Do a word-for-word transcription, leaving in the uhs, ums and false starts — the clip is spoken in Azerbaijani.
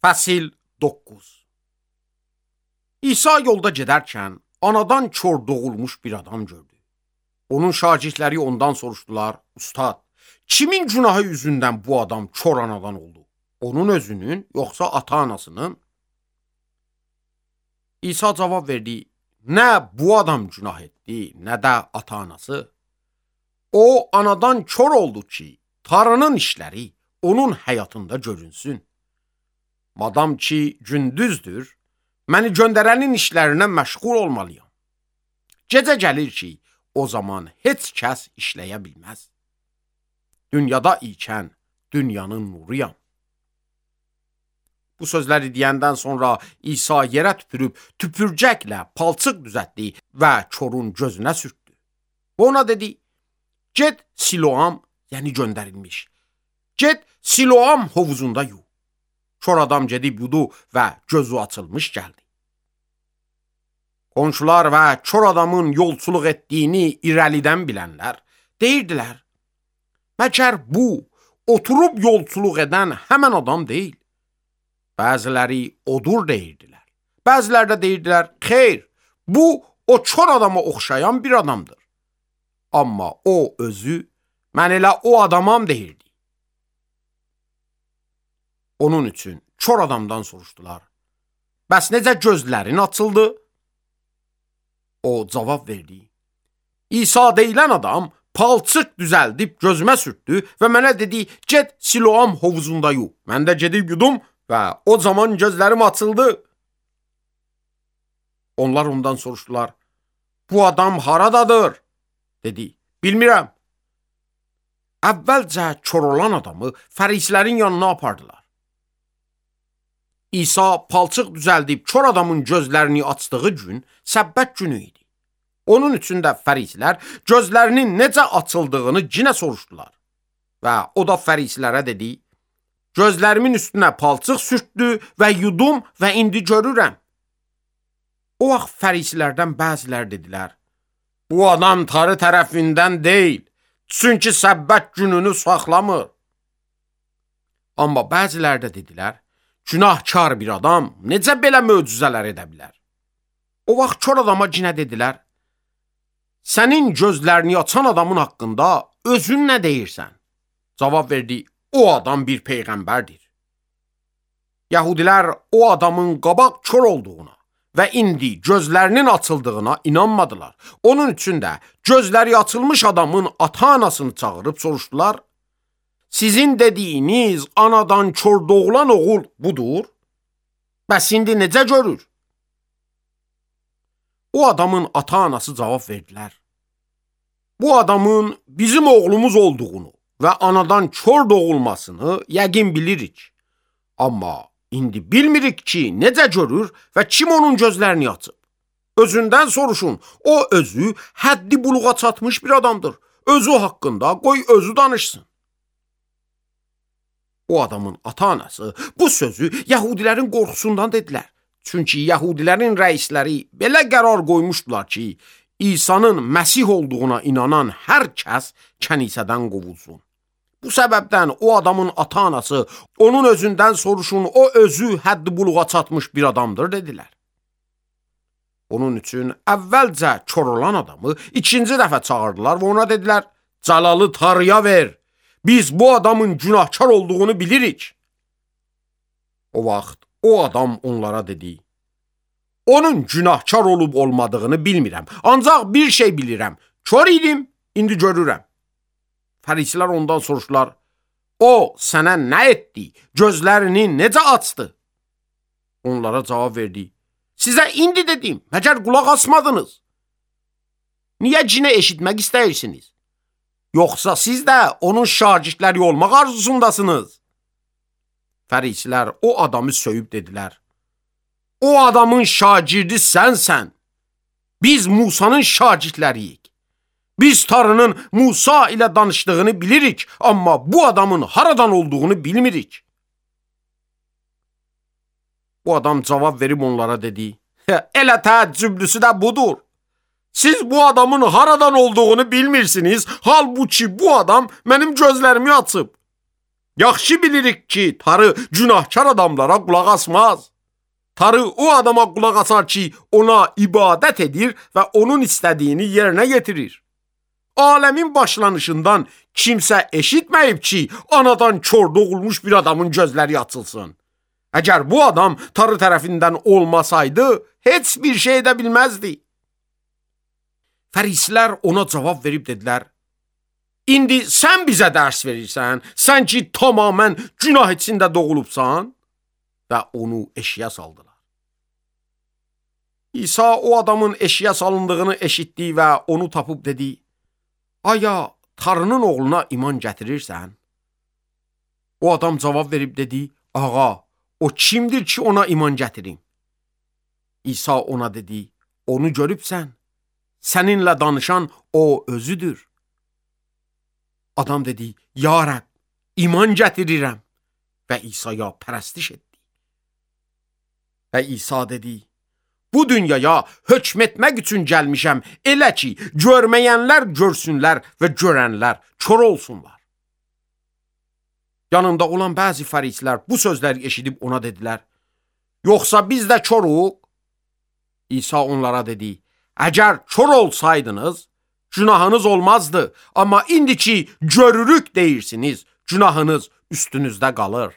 Fəsil doqquz. İsa yolda gedərkən anadan kör doğulmuş bir adam gördü. Onun şagirdləri ondan soruşdular: "Ustad, kimin günahı yüzündən bu adam kör anadan oldu? Onun özünün, yoxsa ata-anasının?" İsa cavab verdi: "Nə bu adam günah etdi, nə də ata-anası. O anadan kör oldu ki, Tanrının işləri onun həyatında görünsün. Madam ki gündüzdür, məni göndərənin işlərinə məşğul olmalıyam. Gecə gəlir ki, o zaman heç kəs işləyə bilməz. Dünyada ikən dünyanın nuruyam." Bu sözləri deyəndən sonra İsa yerə tüpürüb tüpürcəklə palçıq düzəltdi və körün gözünə sürtdü. Və ona dedi: "Get Siloam, yəni göndərilmiş. Get Siloam hovuzunda yu." Kör adam gedib yudu və gözü açılmış gəldi. Qonşular və kör adamın yolçuluq etdiyini irəlidən bilənlər deyirdilər: "Məcər bu, oturub yolçuluq edən həmən adam deyil." Bəziləri odur deyirdilər. Bəziləri də deyirdilər: "Xeyr, bu o kör adama oxşayan bir adamdır." Amma o özü: "Mən elə o adamam" deyirdi. Onun üçün kör adamdan soruşdular: "Bəs necə gözlərin açıldı?" O cavab verdi: "İsa deyilən adam palçıq düzəldib gözümə sürtdü və mənə dedi: Get Siloam hovuzunda yu. Mən də gedib yudum və o zaman gözlərim açıldı." Onlar ondan soruşdular: "Bu adam haradadır?" Dedi: "Bilmirəm." Əvvəlcə kör olan adamı fərislərin yanına apardılar. İsa palçıq düzəldib kör adamın gözlərini açdığı gün səbbət günü idi. Onun üçün də fərislər gözlərinin necə açıldığını yenə soruşdular. Və o da fərislərə dedi: "Gözlərimin üstünə palçıq sürtdü və yudum və indi görürəm." O vaxt fərislərdən bəziləri dedilər: "Bu adam Tanrı tərəfindən deyil, çünki səbbət gününü saxlamır." Amma bəziləri də dedilər: "Günahkar bir adam necə belə möcüzələr edə bilər?" O vaxt kör adama yenə dedilər: "Sənin gözlərini açan adamın haqqında özün nə deyirsən?" Cavab verdi: "O adam bir peyğəmbərdir." Yəhudilər o adamın qabaq kör olduğuna və indi gözlərinin açıldığına inanmadılar. Onun üçün də gözləri açılmış adamın ata-anasını çağırıb soruşdular: "Sizin dediyiniz anadan kör doğulan oğul budur? Bəs indi necə görür?" O adamın ata-anası cavab verdilər: "Bu adamın bizim oğlumuz olduğunu və anadan kör doğulmasını yəqin bilirik. Amma indi bilmirik ki, necə görür və kim onun gözlərini açıb. Özündən soruşun, o özü həddi buluğa çatmış bir adamdır. Özü haqqında qoy özü danışsın." O adamın ata-anası bu sözü Yəhudilərin qorxusundan dedilər. Çünki Yəhudilərin rəisləri belə qərar qoymuşdular ki, İsa'nın Məsih olduğuna inanan hər kəs kənisədən qovulsun. Bu səbəbdən o adamın ata-anası onun özündən soruşun, o özü həddi buluğa çatmış bir adamdır dedilər. Onun üçün əvvəlcə kör olan adamı ikinci dəfə çağırdılar və ona dedilər: "Cəlalı Tanrıya ver. Biz bu adamın günahkar olduğunu bilirik." O vaxt o adam onlara dedi: "Onun günahkar olub olmadığını bilmirəm. Ancaq bir şey bilirəm. Kör idim, indi görürəm." Fərisilər ondan soruşdular: "O sənə nə etdi? Gözlərini necə açdı?" Onlara cavab verdi: "Sizə indi dedim, məcər qulaq asmadınız? Niyə cinə eşitmək istəyirsiniz? Yoxsa siz də onun şagirdləri olmaq arzusundasınız?" Fərisilər o adamı söyüb dedilər: "O adamın şagirdi sənsən. Biz Musanın şagirdləriyik. Biz Tanrının Musa ilə danışdığını bilirik, amma bu adamın haradan olduğunu bilmirik." Bu adam cavab verib onlara dedi: "Elə təəccüblüsü də budur. Siz bu adamın haradan olduğunu bilmirsiniz, halbuki bu adam mənim gözlərimi açıb. Yaxşı bilirik ki, tarı günahkar adamlara qulaq asmaz. Tarı o adama qulaq asar ki, ona ibadət edir və onun istədiyini yerinə getirir. Aləmin başlanışından kimsə eşitməyib ki, anadan kör doğulmuş bir adamın gözləri açılsın. Əgər bu adam tarı tərəfindən olmasaydı, heç bir şey edə bilməzdi. Fərisilər ona cavab verib dedilər, İndi sən bizə dərs verirsən, sən ki tamamən günah içində doğulubsan və onu eşiyə saldılar. İsa o adamın eşiyə salındığını eşitdi və onu tapıb dedi, aya tarının oğluna iman gətirirsən? O adam cavab verib dedi, ağa, o kimdir ki ona iman gətirim? İsa ona dedi, onu görübsən, səninlə danışan o özüdür. Adam dedi, ya Rəbb, iman gətirirəm və İsa'ya pərəstiş etdi. Və İsa dedi, bu dünyaya hökm etmək üçün gəlmişəm, elə ki, görməyənlər görsünlər və görənlər kör olsunlar. Yanında olan bəzi fərisilər bu sözləri eşidib ona dedilər, yoxsa biz də körük? İsa onlara dedi, əgər kör olsaydınız, günahınız olmazdı, amma indi ki görürük deyirsiniz, günahınız üstünüzdə qalır.